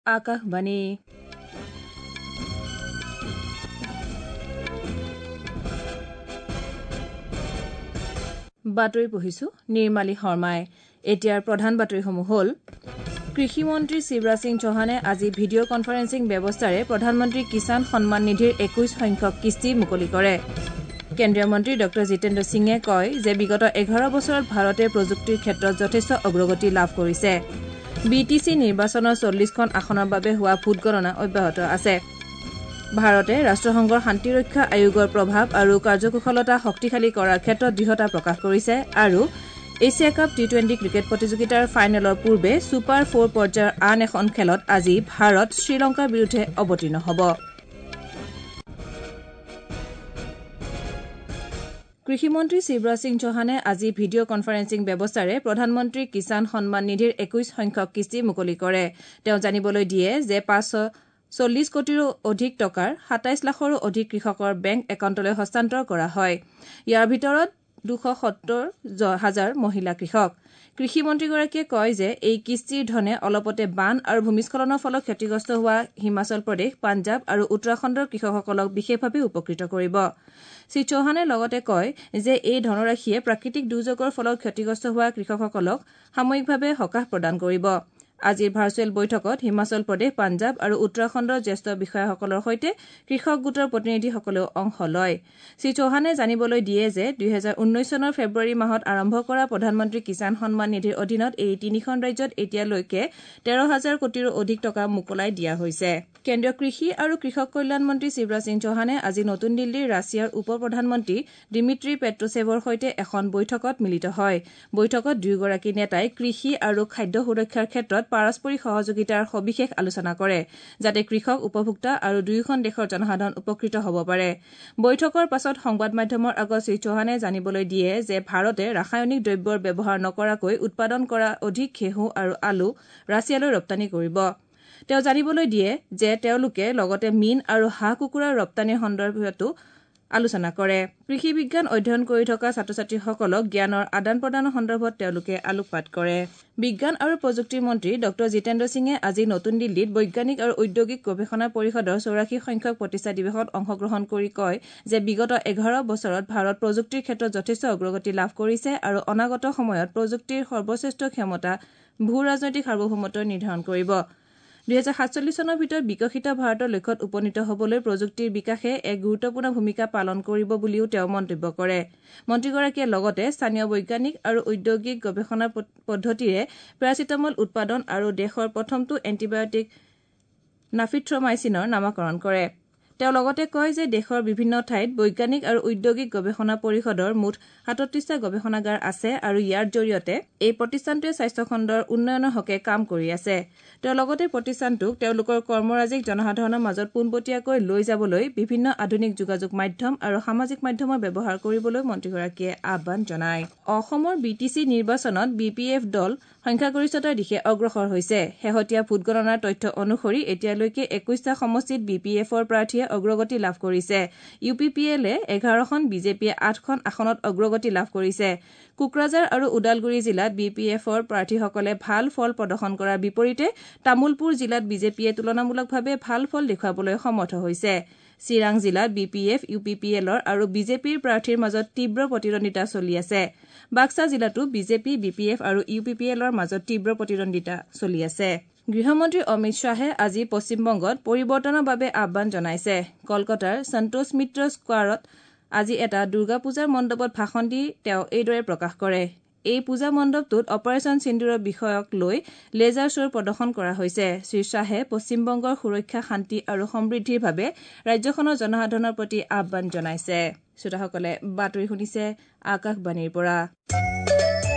আকাশবাণী। বাতৰি পঢ়িছো নিৰ্মালী শৰ্মাই। এতিয়াৰ প্ৰধান বাতৰিসমূহ হ'ল: কৃষিমন্ত্ৰী শিৱৰাজ সিং চৌহানে আজি ভিডিঅ' কনফাৰেন্সিং ব্যৱস্থাৰে প্ৰধানমন্ত্ৰী কিষাণ সন্মান নিধিৰ ২১ সংখ্যক কিস্তি মুকলি কৰে। কেন্দ্ৰীয় মন্ত্ৰী ডঃ জিতেন্দ্ৰ সিঙে কয় যে বিগত ১১ বছৰত ভাৰতে প্ৰযুক্তিৰ ক্ষেত্ৰত যথেষ্ট অগ্ৰগতি লাভ কৰিছে। বি টি চি নিৰ্বাচনৰ ৪০খন আসনৰ বাবে হোৱা ভোটগণনা অব্যাহত আছে। ভাৰতে ৰাষ্ট্ৰসংঘৰ শান্তিৰক্ষা আয়োগৰ প্ৰভাৱ আৰু কাৰ্যকুশলতা শক্তিশালী কৰাৰ ক্ষেত্ৰত দৃঢ়তা প্ৰকাশ কৰিছে। আৰু এছিয়া কাপ টি-টুৱেণ্টি ক্ৰিকেট প্ৰতিযোগিতাৰ ফাইনেলৰ পূৰ্বে ছুপাৰ ফ'ৰ পৰ্যায়ৰ আন এখন খেলত আজি ভাৰত শ্ৰীলংকাৰ বিৰুদ্ধে অৱতীৰ্ণ হ'ব। কৃষিমন্ত্ৰী শিৱৰাজ সিং চৌহানে আজি ভিডিঅ' কনফাৰেন্সিং ব্যৱস্থাৰে প্ৰধানমন্ত্ৰী কিষাণ সন্মান নিধিৰ ২১ সংখ্যক কিস্তি মুকলি কৰে। তেওঁ জানিবলৈ দিয়ে যে ৫৪০ কোটিৰো অধিক টকাৰ ২৭ লাখৰো অধিক কৃষকৰ বেংক একাউণ্টলৈ হস্তান্তৰ কৰা হয়। ইয়াৰ ভিতৰত ২৭০ হাজাৰ মহিলা কৃষক। কৃষিমন্ত্ৰীগৰাকীয়ে কয় যে এই কিস্তিৰ ধনে অলপতে বান আৰু ভূমিস্খলনৰ ফলত ক্ষতিগ্ৰস্ত হোৱা হিমাচল প্ৰদেশ, পাঞ্জাৱ আৰু উত্তৰাখণ্ডৰ কৃষকসকলক বিশেষভাৱে উপকৃত কৰিব। শ্ৰীচৌহানে লগতে কয় যে এই ধনৰাশিয়ে প্ৰাকৃতিক দুৰ্যোগৰ ফলত ক্ষতিগ্ৰস্ত হোৱা কৃষকসকলক সাময়িকভাৱে সকাহ প্ৰদান কৰিব। আজিৰ ভাৰ্চুৱেল বৈঠকত হিমাচল প্ৰদেশ, পাঞ্জাৱ আৰু উত্তৰাখণ্ডৰ জ্যেষ্ঠ বিষয়াসকলৰ সৈতে কৃষক গোটৰ প্ৰতিনিধিসকলেও অংশ লয়। শ্ৰীচৌহানে জানিবলৈ দিয়ে যে ২০১৯ চনৰ ফেব্ৰুৱাৰী মাহত আৰম্ভ কৰা প্ৰধানমন্ত্ৰী কিষাণ সন্মান নিধিৰ অধীনত এই তিনিখন ৰাজ্যত এতিয়ালৈকে ১৩ হাজাৰ কোটিৰো অধিক টকা মোকলাই দিয়া হৈছে। কেন্দ্ৰীয় কৃষি আৰু কৃষক কল্যাণ মন্ত্ৰী শিৱৰাজ সিং চৌহানে আজি নতুন দিল্লীৰ ৰাছিয়াৰ উপ প্ৰধানমন্ত্ৰী দিমিত্ৰী পেট্ৰোচেভৰ সৈতে এখন বৈঠকত মিলিত হয়। বৈঠকত দুয়োগৰাকী নেতাই কৃষি আৰু খাদ্য সুৰক্ষাৰ ক্ষেত্ৰত পাৰস্পৰিক সহযোগিতাৰ সবিশেষ আলোচনা কৰে, যাতে কৃষক, উপভোক্তা আৰু দুয়োখন দেশৰ জনসাধাৰণ উপকৃত হ'ব পাৰে। বৈঠকৰ পাছত সংবাদ মাধ্যমৰ আগত শ্ৰীচৌহানে জানিবলৈ দিয়ে যে ভাৰতে ৰাসায়নিক দ্ৰব্যৰ ব্যৱহাৰ নকৰাকৈ উৎপাদন কৰা অধিক ঘেঁহু আৰু আলু ৰাছিয়ালৈ ৰপ্তানি কৰিব। তেওঁ জানিবলৈ দিয়ে যে তেওঁলোকে লগতে মীন আৰু হাঁহ কুকুৰাৰ ৰপ্তানিৰ সন্দৰ্ভতো আলোচনা কৰে। কৃষি বিজ্ঞান অধ্যয়ন কৰি থকা ছাত্ৰ ছাত্ৰীসকলক জ্ঞানৰ আদান প্ৰদানৰ সন্দৰ্ভত তেওঁলোকে আলোকপাত কৰে। বিজ্ঞান আৰু প্ৰযুক্তি মন্ত্ৰী ডঃ জিতেন্দ্ৰ সিঙে আজি নতুন দিল্লীত বৈজ্ঞানিক আৰু ঔদ্যোগিক গৱেষণা পৰিষদৰ ৮৪ সংখ্যক প্ৰতিষ্ঠা দিৱসত অংশগ্ৰহণ কৰি কয় যে বিগত ১১ বছৰত ভাৰত প্ৰযুক্তিৰ ক্ষেত্ৰত যথেষ্ট অগ্ৰগতি লাভ কৰিছে আৰু অনাগত সময়ত প্ৰযুক্তিৰ সৰ্বশ্ৰেষ্ঠ ক্ষমতা ভূ ৰাজনৈতিক সাৰ্বভৌমত্ব নিৰ্ধাৰণ কৰিব। ২০৪৭ চনৰ ভিতৰত বিকশিত ভাৰতৰ লক্ষ্যত উপনীত হ'বলৈ প্ৰযুক্তিৰ বিকাশে এক গুৰুত্বপূৰ্ণ ভূমিকা পালন কৰিব বুলিও তেওঁ মন্তব্য কৰে। মন্ত্ৰীগৰাকীয়ে লগতে স্থানীয় বৈজ্ঞানিক আৰু ঔদ্যোগিক গৱেষণা পদ্ধতিৰে পেৰাচিটামল উৎপাদন আৰু দেশৰ প্ৰথমটো এণ্টিবায়টিক নাফিথ্ৰমাইচিনৰ নামাকৰণ কৰে। তেওঁ লগতে কয় যে দেশৰ বিভিন্ন ঠাইত বৈজ্ঞানিক আৰু ঔদ্যোগিক গৱেষণা পৰিষদৰ মুঠ ৩৭টা গৱেষণাগাৰ আছে আৰু ইয়াৰ জৰিয়তে এই প্ৰতিষ্ঠানটোৱে স্বাস্থ্যখণ্ডৰ উন্নয়নৰ হকে কাম কৰি আছে। তেওঁ লগতে প্ৰতিষ্ঠানটোক তেওঁলোকৰ কৰ্মৰাজিক জনসাধাৰণৰ মাজত পোনপটীয়াকৈ লৈ যাবলৈ বিভিন্ন আধুনিক যোগাযোগ মাধ্যম আৰু সামাজিক মাধ্যমৰ ব্যৱহাৰ কৰিবলৈ মন্ত্ৰীগৰাকীয়ে আহ্বান জনায়। অসমৰ বি টি চি নিৰ্বাচনত বি পি এফ দল সংখ্যাগৰিষ্ঠতাৰ দিশে অগ্ৰসৰ হৈছে। শেহতীয়া ভোটগণনাৰ তথ্য অনুসৰি এতিয়ালৈকে ২১টা সমষ্টিত বি পি এফৰ প্ৰাৰ্থীয়ে অগ্ৰগতি লাভ কৰিছে। ইউ পি পি এলে ১১খন, বিজেপিয়ে ৮খন আসনত অগ্ৰগতি লাভ কৰিছে। কোকৰাঝাৰ আৰু ওদালগুৰি জিলাত বি পি এফৰ প্ৰাৰ্থীসকলে ভাল ফল প্ৰদৰ্শন কৰাৰ বিপৰীতে তামুলপুৰ জিলাত বিজেপিয়ে তুলনামূলকভাৱে ভাল ফল দেখুৱাবলৈ সমৰ্থ হৈছে। চিৰাং জিলাত B P F, U P P এলৰ আৰু বিজেপিৰ প্ৰাৰ্থীৰ মাজত তীব্ৰ প্ৰতিদ্বন্দ্বিতা চলি আছে। বাক্সা জিলাতো বিজেপি, বি পি এফ আৰু ইউ পি পি এলৰ মাজত তীব্ৰ প্ৰতিদ্বন্দ্বিতা চলি আছে। গৃহমন্ত্ৰী অমিত শ্বাহে আজি পশ্চিমবংগত পৰিৱৰ্তনৰ বাবে আহ্বান জনাইছে। কলকাতাৰ সন্তোষ মিত্ৰ স্কোৱাৰত আজি এটা দুৰ্গা পূজাৰ মণ্ডপত ভাষণ দি তেওঁ এইদৰে প্ৰকাশ কৰে। এই পূজা মণ্ডপটোত অপাৰেচন সিন্দুৰৰ বিষয়ক লৈ লেজাৰ শ্ব'ৰ প্ৰদৰ্শন কৰা হৈছে। শ্ৰীশ্বাহে পশ্চিমবংগৰ সুৰক্ষা, শান্তি আৰু সমৃদ্ধিৰ বাবে ৰাজ্যখনৰ জনসাধাৰণৰ প্ৰতি আহ্বান জনাইছে। শ্ৰোতাসকলে বাতৰি শুনিছে আকাশবাণীৰ পৰা।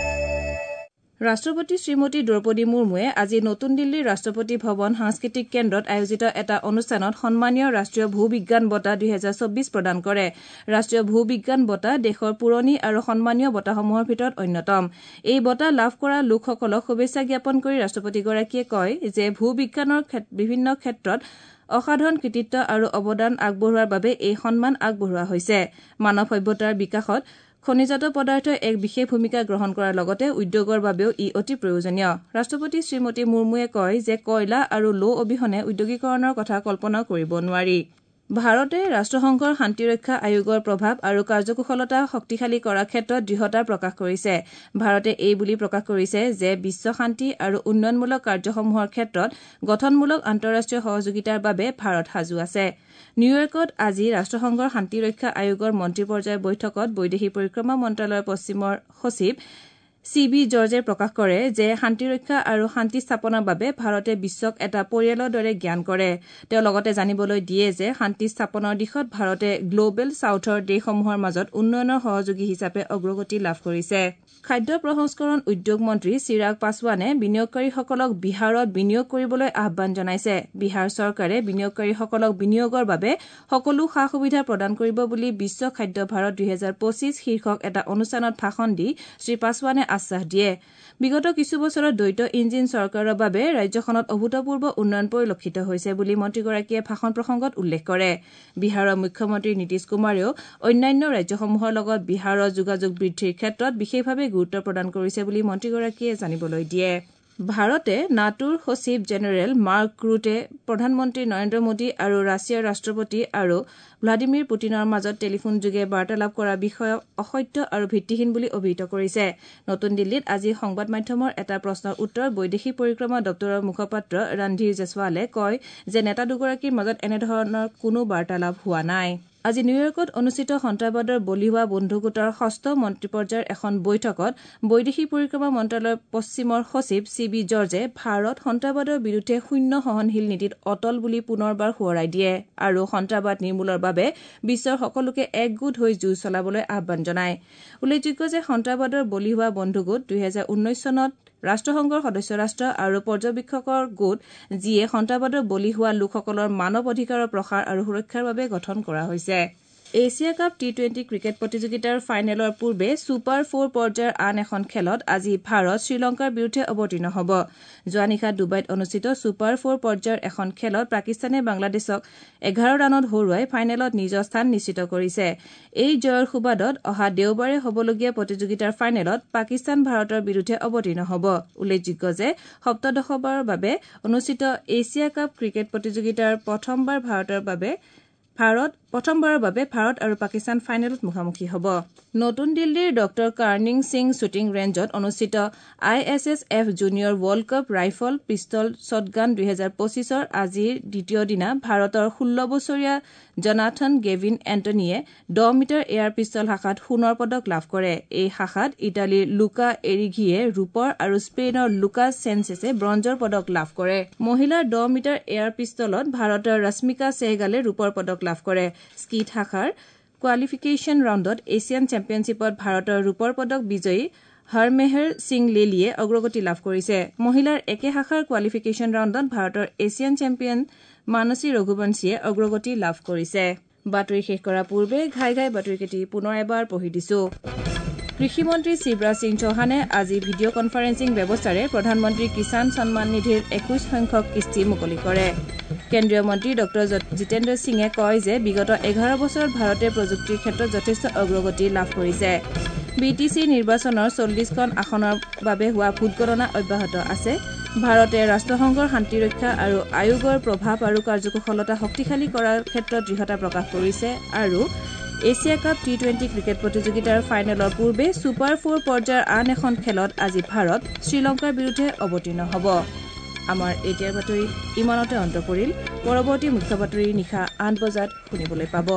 ৰাষ্ট্ৰপতি শ্ৰীমতী দ্ৰৌপদী মুৰ্মুৱে আজি নতুন দিল্লীৰ ৰাষ্ট্ৰপতি ভৱন সাংস্কৃতিক কেন্দ্ৰত আয়োজিত এটা অনুষ্ঠানত সন্মানীয় ৰাষ্ট্ৰীয় ভূ বিজ্ঞান বঁটা ২০২৪ প্ৰদান কৰে। ৰাষ্ট্ৰীয় ভূ বিজ্ঞান বঁটা দেশৰ পুৰণি আৰু সন্মানীয় বঁটাসমূহৰ ভিতৰত অন্যতম। এই বঁটা লাভ কৰা লোকসকলক শুভেচ্ছা জ্ঞাপন কৰি ৰাষ্ট্ৰপতিগৰাকীয়ে কয় যে ভূ বিজ্ঞানৰ বিভিন্ন ক্ষেত্ৰত অসাধাৰণ কৃতিত্ব আৰু অৱদান আগবঢ়োৱাৰ বাবে এই সন্মান আগবঢ়োৱা হৈছে। মানৱ সভ্যতাৰ বিকাশত খনিজাত পদাৰ্থই এক বিশেষ ভূমিকা গ্ৰহণ কৰাৰ লগতে উদ্যোগৰ বাবেও ই অতি প্ৰয়োজনীয়। ৰাষ্ট্ৰপতি শ্ৰীমতী মুৰ্মুৱে কয় যে কয়লা আৰু লো অবিহনে উদ্যোগীকৰণৰ কথা কল্পনাও কৰিব নোৱাৰি। ভাৰতে ৰাষ্ট্ৰসংঘৰ শান্তিৰক্ষা আয়োগৰ প্ৰভাৱ আৰু কাৰ্যকুশলতা শক্তিশালী কৰাৰ ক্ষেত্ৰত দৃঢ়তা প্ৰকাশ কৰিছে। ভাৰতে এই বুলি প্ৰকাশ কৰিছে যে বিশ্ব শান্তি আৰু উন্নয়নমূলক কাৰ্যসমূহৰ ক্ষেত্ৰত গঠনমূলক আন্তঃৰাষ্ট্ৰীয় সহযোগিতাৰ বাবে ভাৰত সাজু আছে। নিউয়ৰ্কত আজি ৰাষ্ট্ৰসংঘৰ শান্তিৰক্ষা আয়োগৰ মন্ত্ৰী পৰ্যায়ৰ বৈঠকত বৈদেশিক পৰিক্ৰমা মন্ত্ৰালয়ৰ পশ্চিমৰ সচিব চি বি জৰ্জে প্ৰকাশ কৰে যে শান্তিৰক্ষা আৰু শান্তি স্থাপনৰ বাবে ভাৰতে বিশ্বক এটা পৰিয়ালৰ দৰে জ্ঞান কৰে। তেওঁ লগতে জানিবলৈ দিয়ে যে শান্তি স্থাপনৰ দিশত ভাৰতে গ্লবেল ছাউথৰ দেশসমূহৰ মাজত উন্নয়নৰ সহযোগী হিচাপে অগ্ৰগতি লাভ কৰিছে। খাদ্য প্ৰসংস্কৰণ উদ্যোগ মন্ত্ৰী চিৰাগ পাছোৱানে বিনিয়োগকাৰীসকলক বিহাৰত বিনিয়োগ কৰিবলৈ আহ্বান জনাইছে। বিহাৰ চৰকাৰে বিনিয়োগকাৰীসকলক বিনিয়োগৰ বাবে সকলো সা সুবিধা প্ৰদান কৰিব বুলি বিশ্ব খাদ্য ভাৰত ২০২৫ শীৰ্ষক এটা অনুষ্ঠানত ভাষণ দি শ্ৰী পাছোৱানে আশ্বাস দিয়ে। বিগত কিছু বছৰত দ্বৈত ইঞ্জিন চৰকাৰৰ বাবে ৰাজ্যখনত অভূতপূৰ্ব উন্নয়ন পৰিলক্ষিত হৈছে বুলি মন্ত্ৰীগৰাকীয়ে ভাষণ প্ৰসংগত উল্লেখ কৰে। বিহাৰৰ মুখ্যমন্ত্ৰী নীতিশ কুমাৰেও অন্যান্য ৰাজ্যসমূহৰ লগত বিহাৰৰ যোগাযোগ বৃদ্ধিৰ ক্ষেত্ৰত বিশেষভাৱে গুৰুত্ব প্ৰদান কৰিছে বুলি মন্ত্ৰীগৰাকীয়ে জানিবলৈ দিয়ে। ভাৰতে নাটোৰ সচিব জেনেৰেল মাৰ্ক ৰুটে প্ৰধানমন্ত্ৰী নৰেন্দ্ৰ মোদী আৰু ৰাছিয়াৰ ৰাষ্ট্ৰপতি আৰু ভ্লাদিমিৰ পুটিনৰ মাজত টেলিফোনযোগে বাৰ্তালাপ কৰা বিষয়ক অসত্য আৰু ভিত্তিহীন বুলি অভিহিত কৰিছে। নতুন দিল্লীত আজি সংবাদ মাধ্যমৰ এটা প্ৰশ্নৰ উত্তৰত বৈদেশিক পৰিক্ৰমা দপ্তৰৰ মুখপাত্ৰ ৰণধীৰ জয়ছৱালে কয় যে নেতা দুগৰাকীৰ মাজত এনেধৰণৰ কোনো বাৰ্তালাপ হোৱা নাই। আজি নিউয়ৰ্কত অনুষ্ঠিত সন্ত্ৰাসবাদৰ বলি হোৱা বন্ধুগোটৰ ষষ্ঠ মন্ত্ৰী পৰ্যায়ৰ এখন বৈঠকত বৈদেশিক পৰিক্ৰমা মন্ত্ৰালয়ৰ পশ্চিমৰ সচিব চি বি জৰ্জে ভাৰত সন্ত্ৰাসবাদৰ বিৰুদ্ধে শূন্য সহনশীল নীতিত অটল বুলি পুনৰবাৰ সোঁৱৰাই দিয়ে আৰু সন্ত্ৰাসবাদ নিৰ্মূলৰ বাবে বিশ্বৰ সকলোকে একগোট হৈ যুঁজ চলাবলৈ আহ্বান জনায়। উল্লেখযোগ্য যে সন্ত্ৰাসবাদৰ বলি হোৱা বন্ধুগোট ২০১৯ চনত ৰাষ্ট্ৰসংঘৰ সদস্য ৰাষ্ট্ৰ আৰু পৰ্যবেক্ষকৰ গোট যিয়ে সন্ত্ৰাসবাদৰ বলি হোৱা লোকসকলৰ মানৱ অধিকাৰৰ প্ৰসাৰ আৰু সুৰক্ষাৰ বাবে গঠন কৰা হৈছে। এছিয়া কাপ টি-টুৱেণ্টি ক্ৰিকেট প্ৰতিযোগিতাৰ ফাইনেলৰ পূৰ্বে ছুপাৰ ফ'ৰ পৰ্যায়ৰ আন এখন খেলত আজি ভাৰত শ্ৰীলংকাৰ বিৰুদ্ধে অৱতীৰ্ণ হ'ব। যোৱা নিশা ডুবাইত অনুষ্ঠিত ছুপাৰ ফ'ৰ পৰ্যায়ৰ এখন খেলত পাকিস্তানে বাংলাদেশক ১১ ৰানত হৰুৱাই ফাইনেলত নিজৰ স্থান নিশ্চিত কৰিছে। এই জয়ৰ সুবাদত অহা দেওবাৰে হ'বলগীয়া প্ৰতিযোগিতাৰ ফাইনেলত পাকিস্তান ভাৰতৰ বিৰুদ্ধে অৱতীৰ্ণ হ'ব। উল্লেখযোগ্য যে সপ্তদশবাৰৰ বাবে অনুষ্ঠিত এছিয়া কাপ ক্ৰিকেট প্ৰতিযোগিতাৰ প্ৰথমবাৰৰ বাবে ভাৰত আৰু পাকিস্তান ফাইনেলত মুখামুখি হ'ব। নতুন দিল্লীৰ ডঃ কাৰ্ণিং সিং শ্বুটিং ৰেঞ্জত অনুষ্ঠিত I S S F junior world cup rifle pistol shotgun ২০২৫ৰ আজিৰ দ্বিতীয় দিনা ভাৰতৰ ১৬ বছৰীয়া জনাথন গেভিন এণ্টনীয়ে ১০ মিটাৰ এয়াৰ পিষ্টল শাখাত সোণৰ পদক লাভ কৰে। এই শাখাত ইটালীৰ লুকা এৰিঘিয়ে ৰূপৰ আৰু স্পেইনৰ লুকা চেনচেছে ব্ৰঞ্জৰ পদক লাভ কৰে। মহিলাৰ ১০ মিটাৰ এয়াৰ পিষ্টলত ভাৰতৰ ৰশ্মিকা চেহগালে ৰূপৰ পদক লাভ কৰে। স্কীট শাখাৰ কোৱালিফিকেশ্যন ৰাউণ্ডত এছিয়ান চেম্পিয়নশ্বিপত ভাৰতৰ ৰূপৰ পদক বিজয়ী হৰমেহৰ সিং লেলিয়ে অগ্ৰগতি লাভ কৰিছে। মহিলাৰ একে শাখাৰ কোৱালিফিকেশ্যন ৰাউণ্ডত ভাৰতৰ এছিয়ান চেম্পিয়ন মানসী ৰঘুবংশীয়ে অগ্ৰগতি লাভ কৰিছে। বাতৰি শেষ কৰাৰ পূৰ্বে ঘাই ঘাই বাতৰিকেইটি পুনৰ এবাৰ পঢ়ি দিছো। কৃষিমন্ত্ৰী শিৱৰাজ সিং চৌহানে আজি ভিডিঅ' কনফাৰেন্সিং ব্যৱস্থাৰে প্ৰধানমন্ত্ৰী কিষাণ সন্মান নিধিৰ ২১ সংখ্যক কিস্তি মুকলি কৰে। কেন্দ্ৰীয় মন্ত্ৰী ডঃ জিতেন্দ্ৰ সিঙে কয় যে বিগত ১১ বছৰত ভাৰতে প্ৰযুক্তিৰ ক্ষেত্ৰত যথেষ্ট অগ্ৰগতি লাভ কৰিছে। বি টি চি নিৰ্বাচনৰ ৪০খন আসনৰ বাবে হোৱা ভোটগণনা অব্যাহত আছে। ভাৰতে ৰাষ্ট্ৰসংঘৰ শান্তিৰক্ষা আৰু আয়োগৰ প্ৰভাৱ আৰু কাৰ্যকুশলতা শক্তিশালী কৰাৰ ক্ষেত্ৰত দৃঢ়তা প্ৰকাশ কৰিছে আৰু এছিয়া কাপ টি-টুৱেণ্টি ক্ৰিকেট প্ৰতিযোগিতাৰ ফাইনেলৰ পূৰ্বে ছুপাৰ ফ'ৰ পৰ্যায়ৰ আন এখন খেলত আজি ভাৰত শ্ৰীলংকাৰ বিৰুদ্ধে অৱতীৰ্ণ হ'ব। আমাৰ এতিয়াৰ বাতৰি ইমানতে অন্ত পৰিল। পৰৱৰ্তী মুখ্য বাতৰি নিশা ৮ বজাত শুনিবলৈ পাব।